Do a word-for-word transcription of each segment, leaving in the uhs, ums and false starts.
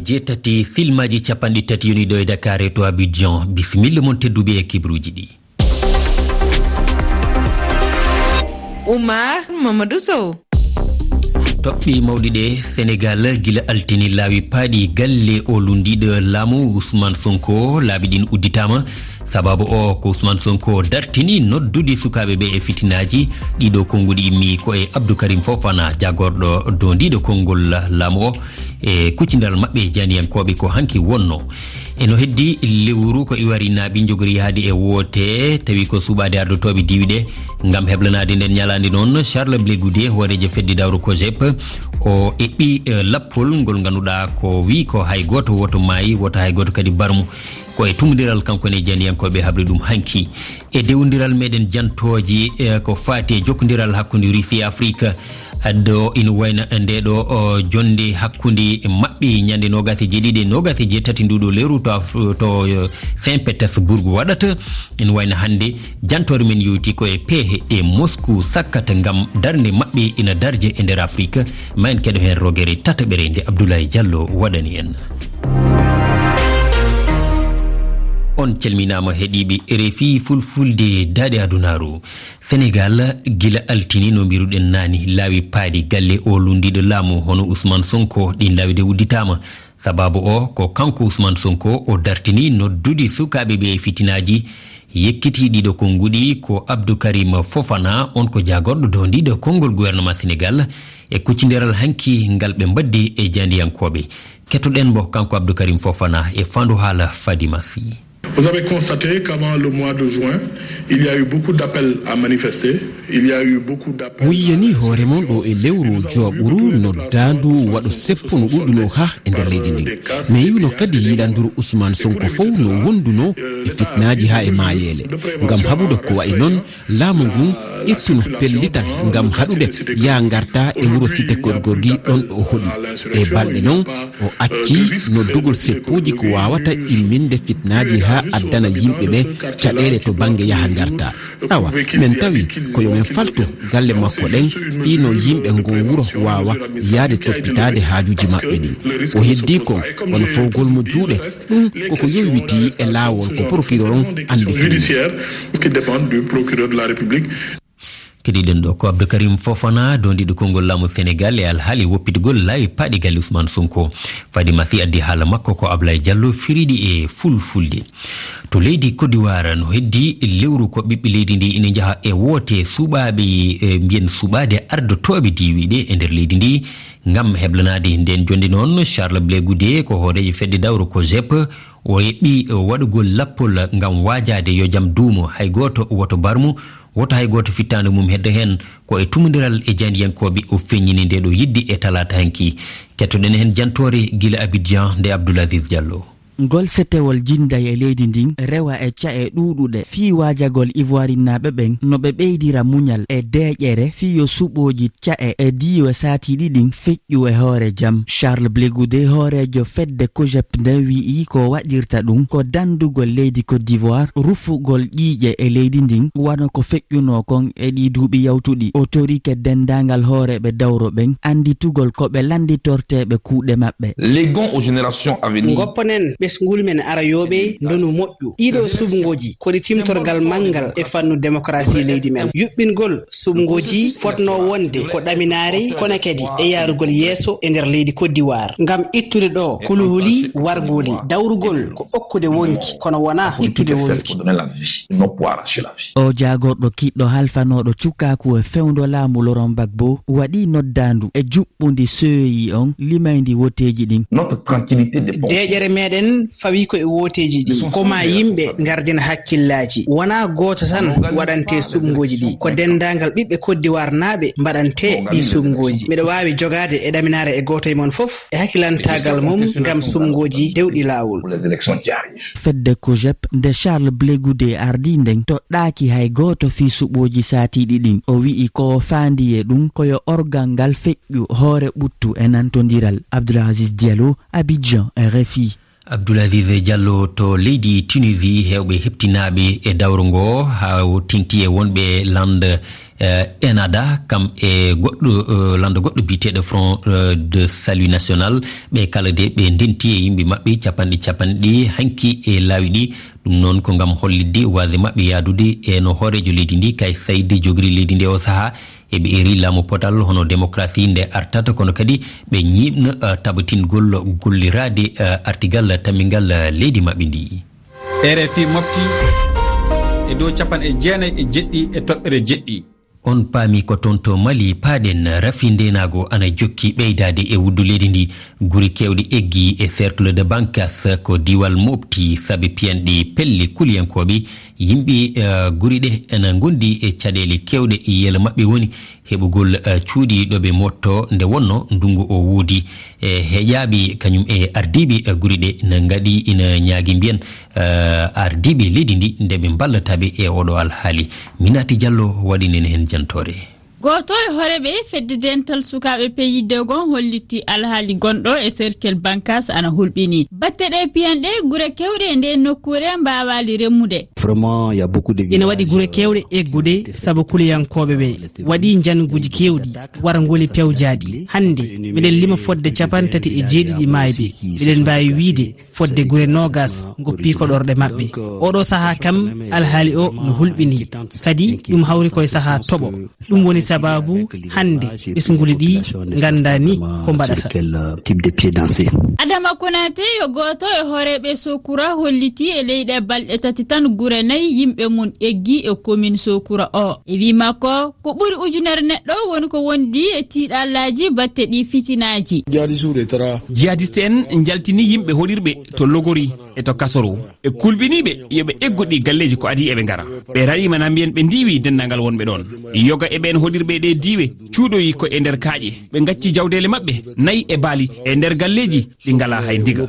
Jeetati filmaaji capanɗe tati yoni ɗo e Dakar e to Abidjan. Bisimilla mon tedduɓe e kibruuji ɗi. Oumar Mamadou Sow. Toɓɓe mawɗi ɗe, Senegal gila altine laawi paaɗi galle o lundiiɗo laamu Ousmane Sonko, laabi ɗin udditaama. Sababu o ko Ousmane Sonko dartini noddude sukaaɓe ɓe e fitinaaji. Ɗiɗo konnguɗi immi ko e Abdou Karim Fofana, jagorɗo dondiiɗo konngol laamu o, e kuccindiral maɓɓe e jaaniyankooɓe ko hanki wonno. E no heddi lewru ko iwari naaɓi njogori yaade e woote, tawi ko suɓaade ardotooɓe diiwi ɗe. Ngam heblanaade nden ñalaande noon, Charles Blé Goudé, hooreejo fedde dawro COJEP, o eɓɓi, eh, lappol ngol ngannduɗaa ko wi ko hay gooto woto maayi, woto hay gooto kadi barmu. Ko e tumundiral kanko ne jaaniyankooɓe habri ɗum hanki. E dewondiral meɗen jantooji, eh, ko faati e jokkondiral hakkunde Russie e Afrique. Addo ina wayna nde ɗo, o, jonde hakkunde maɓɓe ñande noogas e jeeɗiɗi e noogas e jeetati nduɗo lewru to Af-, to, eh, Saint Petersburg waɗata. Ina wayna hannde jantoore men yowti ko e peehe ɗe Moscou sakkata ngam darnde maɓɓe ina darje e nder Afrique. Ma en keɗo heen rogere tataɓere nde Abdoulaye Diallo waɗani en. On calminaama heɗiiɓe R F I Fulfulde Daaɗe Adunaaru. Senegal, gila altine no mbiruɗen naani, laawi paaɗi galle o lundiiɗo laamu hono Ousmane Sonko, ɗin laawi de udditaama. Sababu o ko kanko Ousmane Sonko o dartini noddude sukaaɓe ɓe e fitinaaji, yekkiti ɗiɗo konnguɗi ko Abdou Karim Fofana, on ko jaagorɗo dondiiɗo konngol gouvernement Senegal, e kuccindiral hanki ngal ɓe mbaddi e jaandiyankooɓe. Kettoɗen mo kanko Abdou Karim Fofana e faandu haala Fadima Sy. Vous avez constaté qu'avant le mois de juin, il y a eu beaucoup d'appels à manifester, il y a eu beaucoup d'appels à... On yiyanii hoore mon ɗo e lewru jowaɓuru noddaandu waɗo seppo no ɗuɗuno ha e nder leydi ndin. Mi yiwno kadi yilanduru Ousmane Sonko fow no wonduno e fitnaaji ha e maayeele. Ngam haɓude ko wayi noon, laamu ngun ittuno pellital ngam haɗude yaa ngarta e wuro Cité Keur Gorgui ɗon ɗo o hoɗi. E balɗe noon, o acci noddugol seppuuji ko waawata imminde fitnaaji haa addana yimɓe ɓe caɗeele to bannge yaha ngarta. Awa, men tawi ko yo men faltu galle makko ɗen fii no yimɓe ngon wuro waawa yaade toppitaade haajuuji maɓɓe ɗin. O heddii kon wano fawgol mo juuɗe, ɗum koko yowiti e laawol ko procureur on anndi fii. Judiciaire, qui dépend du procureur de la République. Keɗiɗen ɗo ko Abdou Karim Fofana, dondiiɗo konngol laamu Senegal e alhaali woppitgol laawi paaɗi galle Ousmane Sonko. Fadima Sy addi haala makko ko Ablaye Diallo firiɗi e fulfulde. To leydi Côte d'Ivoire no heddi lewru ko ɓiɓɓe leydi ndi ina njaha e woote suɓaaɓe, e mbiyen suɓaade ardotooɓe diiwiiɗe e nder leydi ndi. Ngam heblanaade nden jonde noon, Charles Blé Goudé ko hooreejo fedde dawro ko jep, o eɓɓi waɗugol lappol ngam waajaade yo jam duumo, hay gooto woto barmu, woto hay gooto fittaandu mum heddo heen. Ko e tumundiral e jaandiyankooɓe o feññini nde ɗo yidde e talaata hanki. Kettoɗen heen jantoore gila Abidjan nde Abdoul Aziz Diallo. Ngol setewol jinday e leydi ndin rewa e ca'e ɗuuɗuɗe fii waajagol Ivoirinnaaɓe ɓen no ɓe ɓeydira muñal e deeƴere fii yo suɓooji ca'e e diiwe saatiiɗi ɗin feƴƴu e hoore jam. Charles Blé Goudé, hooreejo fedde ko jep nden, wi'i ko waɗirta ɗum ko dandugol leydi Côte d'Ivoire, rufugol ƴiiƴe e leydi ndin wano ko feƴƴunoo kon e ɗii duuɓi yawtuɗi. O torike denndaangal hooreeɓe dawro ɓen annditugol ko ɓe lannditorteeɓe kuuɗe maɓɓe. Léguons aux générations à venir. Ngopponen ɓesngul men arayooɓe ndonu moƴƴu. Ɗiɗo suɓngooji ko ɗi timtorgal manngal e fannu demokarasi leydi men. Yuɓɓingol suɓngooji fotnoo wonde ko ɗaminaare, kono kadi e yaarugol yeeso e nder leydi Côte d'Ivoire. Ngam ittude ɗo kuluhuli warnguuli, dawrugol ko okkude wonki, kono wonaa ittude wonki. Pour donner la vie, non pour arracher la vie. O jaagorɗo kiɗɗo halfanooɗo cukaaku e fewndo laamu Laurent Gbagbo waɗi noddaandu e juɓɓundi C E I on limayndi woteeji ɗin. Notre tranquillité dépend. Deeƴere meɗen fawi ko e woteeji ɗi. Ko ma yimɓe ngardina hakkillaaji. Wonaa gooto tan waɗante suɓngooji ɗi. Ko denndaangal ɓiɓɓe Côte d'Ivoire naaɓe mbaɗante ɗi suɓngooji. Miɗo waawi jogaade e ɗaminaare e gooto e mon fof e hakkilantaagal mum ngam suɓngooji dewɗi laawol. Pour les élections qui arrivent. Fedde ko jep nde Charles Blé Goudé ardii nden toɗɗaaki hay gooto fii suɓooji saatiiɗi ɗin. O wi'i ko o faandi e ɗum ko yo orgal ngal feƴƴu hoore ɓuttu e nantondiral. Abdoul Aziz Diallo, Abidjan, R F I. Abdoul Aziz Diallo, to leydi Tunisie, heewɓe heɓtinaaɓe e dawro ngo, haa o teŋti e wonɓe Lande Eh, Enada, kam e goɗɗo, eh, lanndo goɗɗo biyeteeɗo Front, eh, de Salut National, ɓe kala de ɓe ndenti e yimɓe maɓɓe capanɗe capanɗe hanki e laawi ɗi. Ɗum noon ko ngam hollitde waasde maɓɓe yahdude e no hooreejo leydi ndi, Kais Saied, jogori leydi ndi o sahaa, eɓe eri laamu potal hono démocratie nde artata, kono kadi ɓe ñiiɓna, eh, tabatingol golliraade, eh, artigal tammingal, eh, leydi maɓɓe ndi. R F I mofti e dow capanɗe jeenayi e jeɗɗi e toɓɓere jeɗɗi. On paami ko toon to Mali paaɗen, rafi ndeenaagu ana jokki ɓeydaade e wuddu leydi ndi. Gure keewɗe eggi e Cercle de Bankas ko diiwal Mopti sabi piyanɗe pelle kuliyankooɓe. Yimɓe, eh, gure ɗe ena ngondi e caɗeele keewɗe, yiyannde maɓɓe woni heɓugol, eh, cuuɗi ɗo ɓe mottoo nde wonnoo ndunngu o woodi. E heƴaaɓe kañum e ardiiɓe, eh, gure ɗe ina ngaɗi ina ñaagi mbiyan, eh, ardiiɓe leydi ndi nde ɓe mballata ɓe e oɗo alhaali. Minati Diallo waɗinen heen jantoore. Gooto e hooreeɓe fedde dental sukaaɓe P I D gon holliti alhaali gonɗo e Cercle Bankas ana hulɓini. Batte ɗe piyanɗe gure keewɗe e ndeen nokkuure mbaawaali remmude. Vraiment, il y a beaucoup de Ina waɗi gure keewɗe eggude sabu kuliyankooɓe ɓe. Waɗi njanguuji keewɗi, warngoli pewjaaɗi. Hannde, miɗen lima fodde capanɗe tati e jeeɗiɗi maayɓe. Miɗen mbaawi wiyde fodde gure noogas ngoppi koɗorɗe maɓɓe. Oɗo sahaa kam, alhaali o no hulɓini. Kadi, ɗum hawri koye sahaa toɓo. Ɗum woni sabaabu hannde ɓesnguuli ɗi nganndaa ni ko mbaɗata. Adama Konate yo gooto e hooreeɓe Sokura holliti e leyɗe balɗe tati tan gure nayi yimɓe mum eggi e commune Sokura o. E wii makko, ko ɓuri ujunere neɗɗo woni ko wondi e tiiɗallaaji batte ɗi fitinaaji. Jihadiste en njaltini yimɓe hoɗirɓe to Logori e to Kasoro. Ɓe kulɓiniiɓe yo ɓe eggu ɗi galleeji ko adii eɓe ngara. Ɓe raɗiima na mbiyen ɓe ndiiwi denndaangal wonɓe ɗoon. Yoga e ɓeen hoɗirɓe e ɗee diiwe cuuɗoyi ko e nder kaaƴe. Ɓe ngacci jawdeele maɓɓe nayi e baali e nder galleeji ɗi ngalaa hay ndiga.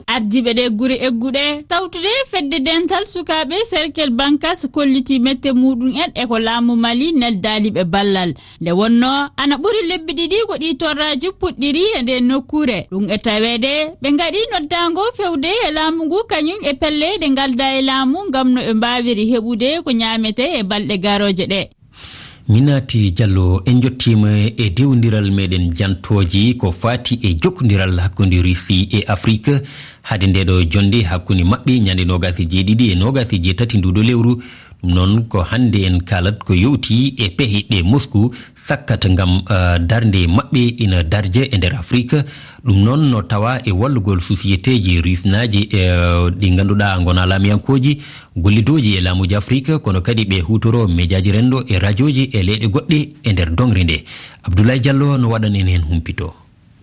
Ardiiɓe ɗee gure egguɗe tawtude fedde dental sukaaɓe Cercle Bankas kolliti mette muuɗum en e ko laamu Mali neldaali ɓe ballal. Nde wonnoo ana ɓuri lebbi ɗiɗi ko ɗii torraaji puɗɗiri e ndee nokkuure. Ɗum e taweede ɓe ngaɗi noddaango fewde e laamu ngu kañum e pelle ɗe ngaldaa e laamu ngam no ɓe mbaawiri heɓude ko ñaametee e balɗe garooje ɗe. Minati Diallo, en njottiima e dewondiral meɗen jantooji ko faati e jokkondiral hakkunde Russie e Afrique. Hade nde ɗo jonnde hakkunde maɓɓe ñande noogas e jeeɗiɗi e noogas e jeetati nduuɗo lewru. Ɗum noon ko hannde en kaalat ko yowti e pehe ɗe Moscou sakkata ngam, eh, darnde maɓɓe ina darja e nder Afrique. Ɗum noon no tawa e wallugol sosiyeteeji rusnaaji, eh, ɗi ngannduɗaa ngonaa laamiyankooji, gollidooji e laamuuji Afrique, kono kadi ɓe huutoroo mejaaji renndo e rajooji e leyɗe goɗɗe e nder doŋre nde. Abdoulaye Diallo no waɗan en heen humpito.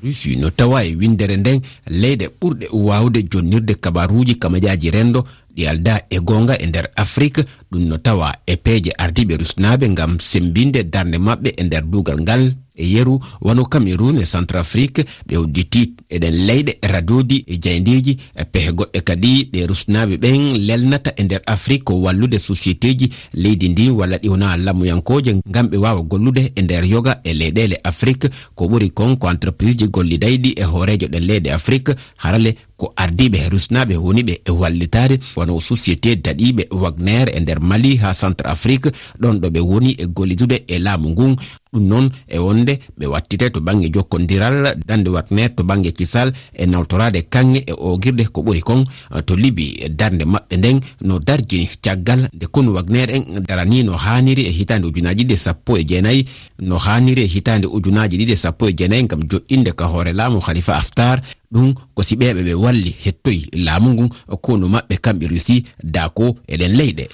Russie no tawa e winndere nden leyɗe ɓurɗe waawde jonnirde kabaruuji kamajaaji renndo ɗi aldaa e goonga e nder Afrik. Ɗum no tawa e peeje ardiiɓe rusnaaɓe ngam semmbinde darnde maɓɓe e nder duugal ngal. E yeru, wano Cameroun e Centrafrique, ɓe udditi e ɗen leyɗe radooji e jayndeeji, e pehe goɗɗe kadi ɗe rusnaaɓe ɓen lelnata e nder Afrik ko wallude sosiyeteeji leydi ndi walla ɗi wonaa lamuyankooje ngam ɓe waawa gollude e nder yoga e leyɗeele Afrik. Ko ɓuri kon ko entrepriseji gollidayɗi e hooreejo ɗen leyɗe Afrik, harale ko ardiiɓe rusnaaɓe woni ɓe e wallitaade, wano société daɗiiɓe Wagner e nder Mali haa Centrafrique, ɗon ɗo ɓe woni e gollidude e laamu ngun. Ɗum noon e wonde ɓe wattite to bannge jokkondiral, darnde Wagner to bannge kisal e nawtoraade kaŋŋe e oogirde ko ɓuri kon to Libi. Darnde maɓɓe nden no darjini caggal nde konu Wagner en daranii no haaniri e hitaande ujunaaji ɗiɗi e sappo e jeenayi, no haaniri e hitaande ujunaaji ɗiɗi e sappo e jeenayi ngam joɗɗinde ka hoore laamu Khalifa Haftar. Ɗum ko si ɓeeɓe ɓe walli hettoyi laamu ngun, konu maɓɓe kamɓe Russie, daako e ɗen leyɗe.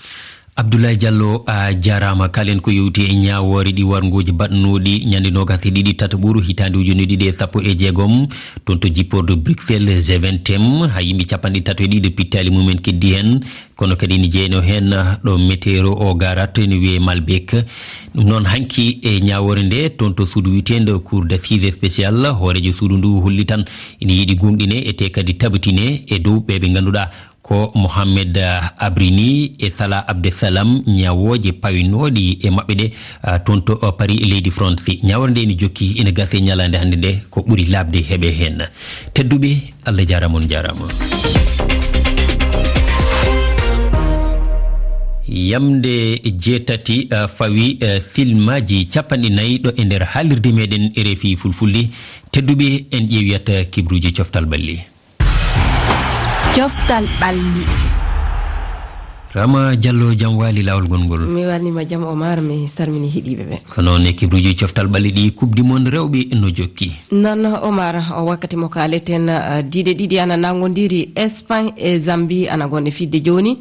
Abdoulaye Diallo, a jaaraama. Kalen ko yowti e ñaawoore ɗi warngooji baɗnooɗi ñande noogas e ɗiɗi tataɓuru hitaande ujunere ɗiɗi e sappo e jeegom, toon to jippordu Bruxelles, G vingt M, haa yimɓe capanɗe tato e ɗiɗo pittaali mumen keddi heen. Kono kadi ene jeynoo heen ɗo météo o garata, ene wiyee Malbec. Ɗum noon, hanki e ñaawoore nde, toon to suudu wiyeteendu Cour d'assises spécial, hooreejo suudu ndu holli tan ene yiɗi gomɗine e te kadi tabitine e dow ɓe ɓe ngannduɗaa ko Mohamed, ah, Abrini e Salah Abdeslam, ñaawooje pawinooɗi e maɓɓe ɗe, ah, toon to, ah, Paris e leydi France. Ñaawoore nde ene jokki, ene gasa e ñalaande hannde nde, ko ɓuri laaɓde heɓe heen. Tedduɓe, Allah jaaraama, on jaaraama. Yamnde jeetati, eh, fawi, eh, silmaaji cappanɗe nayi ɗo e nder haalirde meɗen R F I Fulfulde. Tedduɓe, en ƴeewiyat, eh, kibruuji coftal ɓalli. Coftal ɓalli. Rama Diallo, jam waali laawol gonngol. Mi waalniima jam, Omar, mi salmini heɗiiɓe ɓe. Ko noon e kibruuji coftal ɓalli ɗi, Coupe du Monde rewɓe no jokki. Noon, Omar, o wakkati mo kaaleten, eh, diiɗe ɗiɗi ana nanngondiri, Espagne e Zambie ana ngonɗe fijde jooni.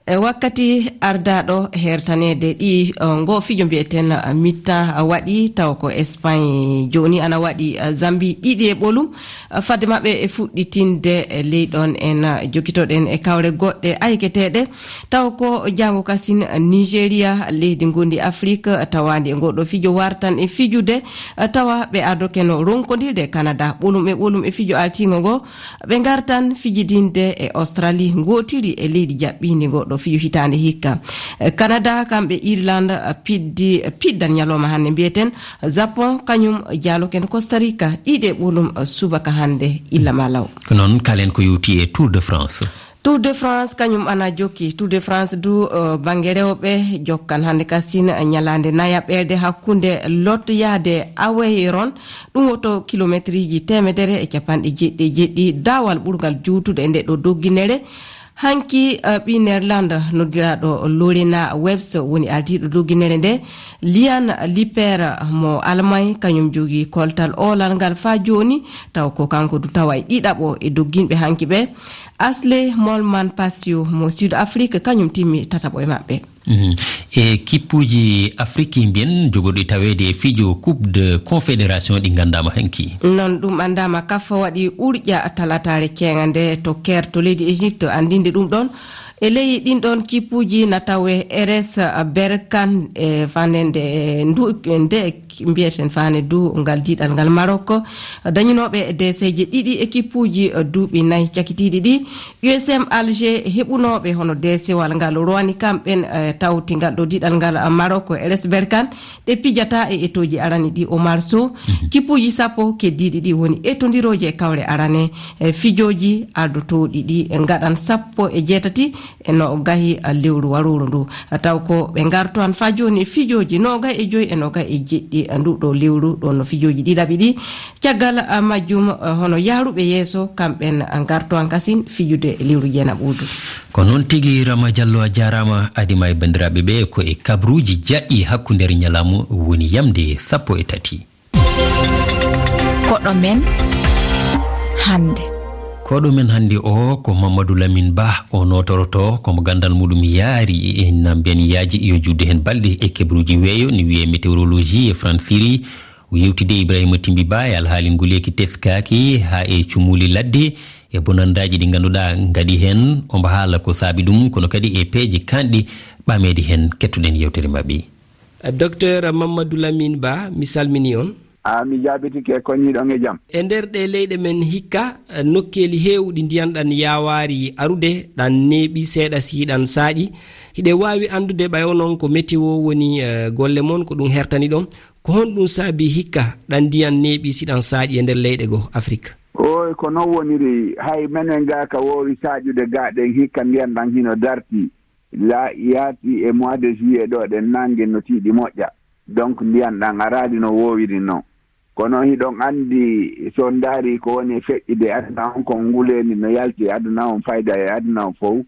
E wakkati ardaaɗo hertaneede ɗi, eh, ngo fijo mbi'eten, eh, mi-temps waɗi, taw ko Espagne jooni ana waɗi, eh, Zambie ɗiɗi e ɓolum. Eh, fadde maɓɓe e fuɗɗitinde, eh, ley ɗoon en, eh, jokkitoɗen e kawre goɗɗe ayketeeɗe. Taw ko janngo kasin, eh, Nigeria, leydi ngondi Afrik, eh, tawaandi e ngoɗo fijo wartan e fijude, eh, tawa ɓe ardokeno ronkondirde Canada ɓolum e ɓolum e fijo altiingo ngo. Ɓe ngartan fijidinde e Australie, ngootiri e leydi jaɓɓiindi ngoɗo fijo hitaande hikka. Eh, Canada, kamɓe Irlande, eh, piddi, eh, piddan ñalawma hannde mbi'eten. Japon, kañum jaaloken Costa Rica, ɗiɗi e ɓolum, eh, subaka hannde, illa ma law. Ko noon, kaalen ko yowti e Tour de France. Tour de France, kañum ana jokki. Tour de France du, eh, bannge rewɓe, jokkan hannde kasin, eh, ñalaande nayaɓerde hakkunde Lot yahde Aveyron. Ɗum woto kilometriji teemedere e capanɗe jeeɗiɗi e jeeɗiɗi, daawal ɓurngal juutude e nde ɗo dogginere. Hanki, eh, ɓii Nerlande noddiraaɗo Lorena Webs woni ardiiɗo dogginere nde. Lian Liper mo Almay, kañum jogii koltal oolal ngal faa jooni, taw ko kanko du tawa e ɗiɗaɓo e dogginɓe hanki ɓe. Asle Molman Pasio mo Sud Afrique, kañum timmi tataɓo e maɓɓe. Mhm. E kippuuji Afrik mbiyen jogorɗi taweede e fijo Coupe de Confédération ɗi nganndaama hanki. Noon ɗum anndaama, kaf waɗi urƴa talataare keeŋa nde to Caire to leydi Égypte, anndinde ɗum ɗoon. E ley ɗin ɗoon kippuuji na tawe R S Berkane e fanende ndu, nde mbiyeten fane du ngal diɗal ngal Maroc. Dañunooɓe deeseeje ɗiɗi e kippuuji duuɓi nayi cakitiiɗi ɗi. U S M Alger heɓunooɓe hono deesewal ngal rowani kamɓen, eh, tawti ngal ɗo diɗal ngal, eh, Maroc, R S Berkane, ɗe pijata e etooji arani ɗi Omar Sow. Mhm. Kippuuji sappo keddiiɗi ɗi woni etondirooji e kawre arane, eh, fijooji ardotooɗi ɗi ngaɗan sappo e jeetati e no gahi, eh, lewru warooru ndu. Taw ko ɓe ngartoan faa jooni e fijooji noogay e joy e noogay e jeɗɗi, eh, ndu ɗo lewru ɗo no fijooji ɗiɗaɓi ɗi. Caggal, ah, majjum, ah, hono yahruɓe yeeso, kamɓen, ah, ngarto an kasin fijude lewru jeenaɓuudu. Ko noon tigi, Rama Diallo, a jaaraama. Adima e banndiraaɓe ɓe ko e kabruuji jaƴƴi hakkunde nder ñalaamu woni yamde sappo e tati. Koɗo men hannde. Koɗo men hannde o ko Mamadou Lamine Ba, o nootoroto ko mo ganndal muɗum yaari e na mbiyen yaaji yo juutde heen balɗe e kebruuji weeyo, ni wiyee météorologie e fransiri. O yewtidi e Ibrahima Timbi Ba e alhaali nguleeki teskaaki haa e cumuuli ladde e bonandaaji ɗi ngannduɗaa ngaɗi heen. Omo haala ko saabi ɗum, kono kadi e peeje kaanɗi ɓameede heen. Kettoɗen yewtere maɓɓe. Docteur Mamadou Lamine Ba, mi salmini on. A, mi jaabitike, koñiiɗon e jam. E nder ɗe leyɗe men hikka, nokkeeli heewɗi ndiyan ɗan yaawaari arude, ɗan neeɓi seeɗa si ɗan saaƴi. Hiɗe waawi anndude ɓay onon ko météo woni, eh, golle mon, ko ɗum hertani ɗon. Ko honɗum saabi hikka ɗan ndiyan neeɓi si ɗan saaƴi e nder leyɗe goo Afrik? Ooy, ko non woniri. Hay menen gaa ka woowi saaƴude gaa ɗen hikka ndiyan ɗan hino darti. La yaati e mois de juillet ɗo ɗen nange no tiiɗi moƴƴa. Donc ndiyan ɗan araali no woowiri non. Kono hiɗon anndi, so on ndaari ko woni e feƴƴude aduna on, ko nguleendi no yalti e aduna on, fayda e aduna on fow.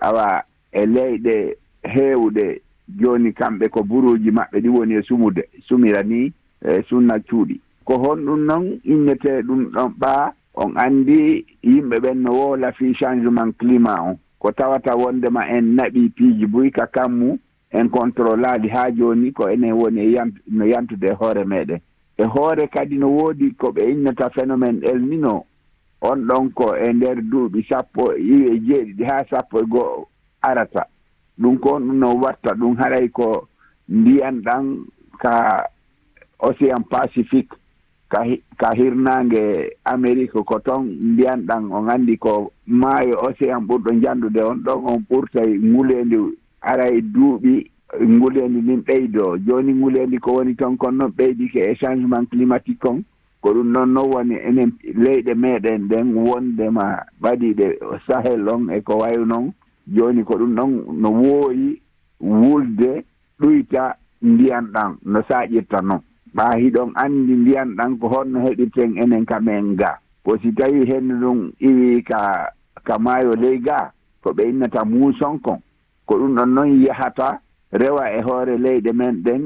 Awa, e leyɗe heewɗe jooni, kamɓe ko buruuji maɓɓe ɗi woni e sumude, sumira ni, e sunna cuuɗi. Ko honɗum non innetee ɗum ɗon ɓaa? On anndi yimɓe ɓen no wowla fii changement climat on. Ko tawata wonndema en naɓii piiji buy ka kammu, en controlaali haa jooni, ko enen woni e yant-, no yantude e hoore meɗen. E hoore kadi no woodi ko ɓe innata phénomène El Nino. On ɗon ko e nder duuɓi sappo e jeeɗiɗi haa sappo e go'o arata. Ɗum ko honɗum no watta ɗum? Haray ko ndiyan ɗan ka Océan Pacifique, ka hi-, ka hirnaange Amérique, ko ton ndiyan ɗan, on anndi ko maayo océan ɓurɗo njandude on, ɗon on ɓurtay nguleendi, aray duuɓi nguleendi ndin ɓeydoo. Jooni nguleendi ko woni ton kon non ɓeydike e changement climatique kon. Ko ɗum ɗon non woni enen leyɗe meɗen ɗen wondema ɓadiiɗe Sahel on e ko wayi non. Jooni ko ɗum ɗon no wooyi wulde, ɗuyta ndiyan ɗan no saaƴirta non. Ɓaa hiɗon anndi ndiyan ɗan ko honno heɓirten enen ka men ga. Ko si tawii hendu ndun iwii ka, ka maayo ley ga, ko ɓe innata muuson kon. Ko ɗun ɗon non yahata rewa e hoore leyɗe men ɗen,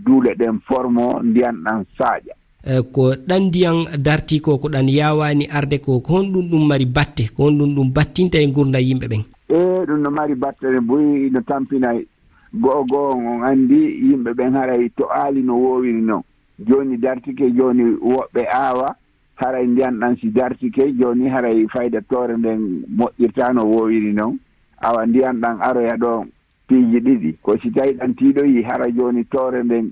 duule ɗen formo, ndiyan ɗan saaƴa. E, ko ɗan ndiyan dartii ko, ko ɗan yaawaani arde ko, ko honɗun ɗun mari batte, ko honɗun ɗun battinta e ngurndan yimɓe ɓen? E, ɗun no mari batte buy, no tampina go'o go'o on, on anndi yimɓe ɓen haray to aali no woowiri non. Jooni dartike, jooni woɓɓe aawa, haray ndiyan ɗan si dartike, jooni haray fayda toore nden moƴƴirtaa no woowiri non. Awa ndiyan ɗan aroya ɗo piiji ɗiɗi. Ko si tawii ɗan tiiɗoyii, hara jooni toore nden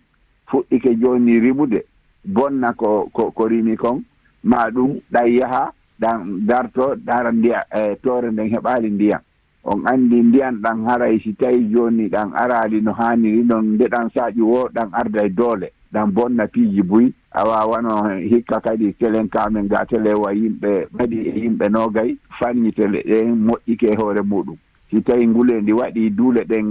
fuɗɗike jooni rimude, bonna ko, ko, ko rimi kon, maa ɗun ɗan yaha, ɗan darto, hara ndiya-, e, toore nden heɓaali ndiyan. On anndi ndiyan ɗan haray si tawii jooni ɗan araali no haaniri non, nde ɗan saaƴi woo, ɗan arday doole, ɗan bonna piiji buy. Awa wano hikka kadi telen ka men ga tele wa yimɓe ɓaɗi e yimɓe noogay fanni tele ɗen moƴƴike e hoore muɗum. Si tawii nguleendi waɗii duule ɗen,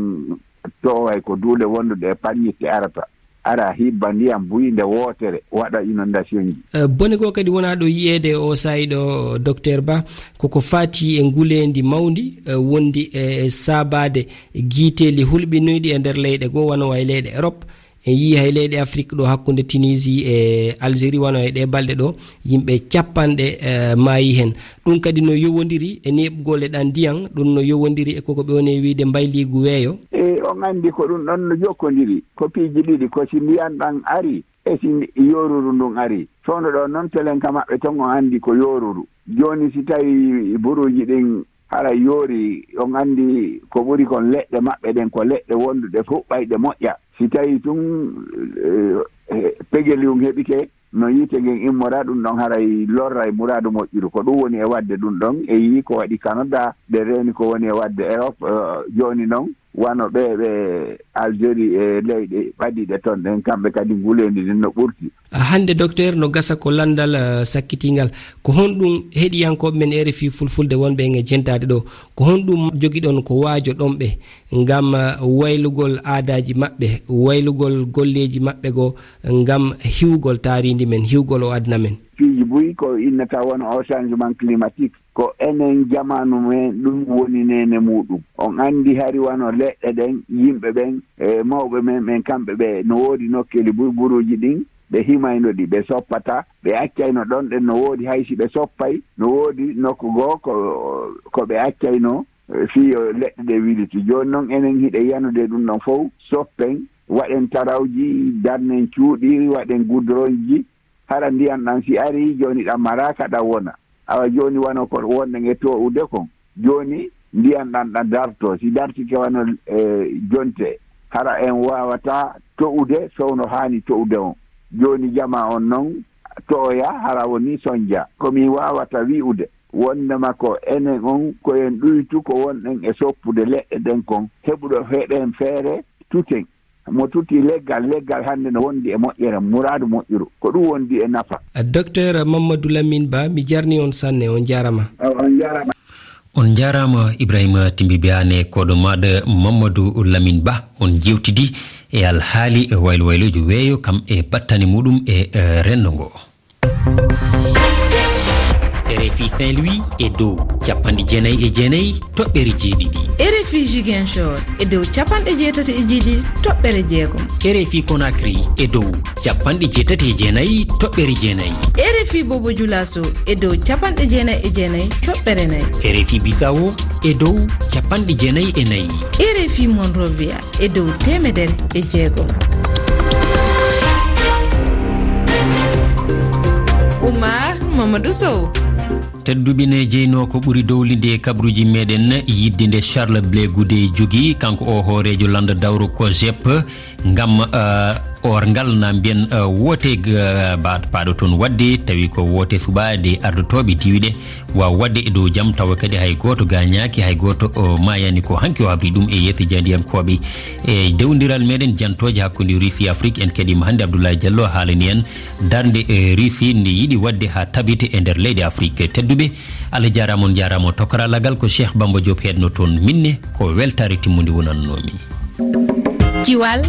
toway ko duule wonduɗe e panñitte arata, ara hibba ndiyan buy nde wootere, waɗa inondation ji. Eh, bone goo kadi wonaa ɗo yi'eede o saa'i ɗo, Docteur Ba, koko faati e nguleendi mawndi, eh, wondi e saabaade giiteeli hulɓinoyɗi e nder leyɗe goo, wano way leyɗe Europe. En yii hay leyɗe Afrik ɗo hakkunde Tunisie e Algérie, wano e ɗee balɗe ɗo, yimɓe cappanɗe, eh, maayi hen. Ɗum kadi no yowondiri e neeɓgol e ɗan ndiyan, ɗum no yowondiri e koko ɓe woni e wiide mbayliigu weeyo. E, on anndi ko ɗum ɗon no jokkondiri. Ko piiji ɗiɗi, ko si ndiyan ɗan ari, e si ndi-, yooruru ndun ari. Fewndo ɗo non telen ka maɓɓe ton, on anndi ko yooruru. Jooni si tawi buruuji ɗin hara yoori, on anndi ko ɓuri kon leɗɗe maɓɓe ɗen, ko leɗɗe wonduɗe fuɗɗayɗe moƴƴa. Si tawi tun, eh, eh, pegeliwun heɓike, no yiite ngen immora, ɗum ɗon haray lorray muraadu moƴƴuru. Ko ɗum woni e waɗde ɗum ɗon, e yii ko waɗi Canada, ɓe reeni ko woni e waɗde Europe, eh, jooni non, wano ɓe, ɓe Algérie e leyɗe ɓadiiɗe ton ɗen, kamɓe kadi nguleendi ndin no ɓurti. Hannde, Docteur, no gasa ko lanndal, eh, sakkitingal. Ko honɗum heɗiyankooɓe men R F I Fulfulde wonɓe en e jentaade ɗo? Ko honɗum jogiɗon ko waajoɗon ɓe ngam, eh, waylugol aadaaji maɓɓe, waylugol golleeji maɓɓe goo, ngam hiwgol taariindi men, hiwgol o aduna men. Piiji buy ko innata won o changement climatique, ko enen jamaanu men ɗum woni neene muɗum. On anndi hari wano leɗɗe ɗen, yimɓe ɓen, e mawɓe men ɓen, kamɓe ɓe no woodi nokkeeli buy buruuji ɗin, ɓe himayno ɗi, ɓe soppata, ɓe accayno ɗon ɗen no woodi, hay si ɓe soppay, no woodi nokku goo ko, ko ɓe accayno, eh, fii yo leɗɗe ɗe wiliti. Jooni non enen hiɗe yanude ɗum ɗon fow, soppen, waɗen tarawji, darnen cuuɗi, waɗen gudronji, hara ndiyan ɗan si ari, jooni ɗan maraaka ɗan wona. Awa jooni wano ko wonɗen e to'ude kon. Jooni ndiyan ɗan ɗan darto, si dartike wano, eh, jonte, hara en waawata to'ude fewno haani to'ude on. Jooni jama on non to'oya hara woni sonja. Ko mi waawata wi'ude, wondema ko enen on ko en ɗuytu ko wonɗen e soppude leɗɗe ɗen kon, heɓuɗo heɗen feere tuten. Mo tuti leggal, leggal hannde no wondi e moƴƴere, muraadu moƴƴuru. Ko ɗum wondi e nafa. Docteur Mamadou Lamine Ba, mi jarni on sanne, on jaarama. On jaarama. On jaarama Ibrahima Timbi Biane, koɗo maɗa Mamadou Lamine Ba. On jewtidi e alhaali e waylo waylojo weeyo, kam e battane muɗum e, eh, renndo ngo. R F I Saint-Louis e dow capanɗe jeenayi e jeenayi toɓɓere jeeɗiɗi. R F I Ziguinchor e dow capanɗe jeetati e jeeɗiɗi toɓɓere jeegom. R F I Conakry e dow capanɗe jeetati e jeenayi toɓɓere jeenayi. R F I Bobo Dioulasso e dow capanɗe jeenayi e jeenayi toɓɓere nayi. R F I Bissau e dow capanɗe jeenayi e nayi. R F I Monrovia e dow teemedere e jeegom. Oumar Mamadou Sow. Tedduɓe, ne jeyno ko ɓuri dowlinde e kabaruuji meɗen, yidde nde Charles Blé Goudé jogii, kanko o hooreejo lannda dawro COGEP, ngam, eh, orngal na mbiyen, eh, woote, eh, ba-, paaɗo toon waɗde, tawi ko woote suɓaade ardotooɓe diiwe ɗe waawa waɗde e dow jam, tawa kadi hay gooto gaañaaki, hay gooto o maayaani. Ko hanki o habri ɗum e yeeso jaandiyankooɓe. E dewdiral meɗen jantooje hakkunde Russie e Afrique, en keɗiima hannde Abdoulaye Diallo haalani en darnde, eh, Russie nde yiɗi waɗde haa tabite e nder leyɗe Afrique. Tedduɓe, Allah jaaraama, on njaaraama, o tokaraalagal ko Cheikh Bamba Diop heedno toon. Minne ko weltaare timmunde wonannoomi. Kiwal,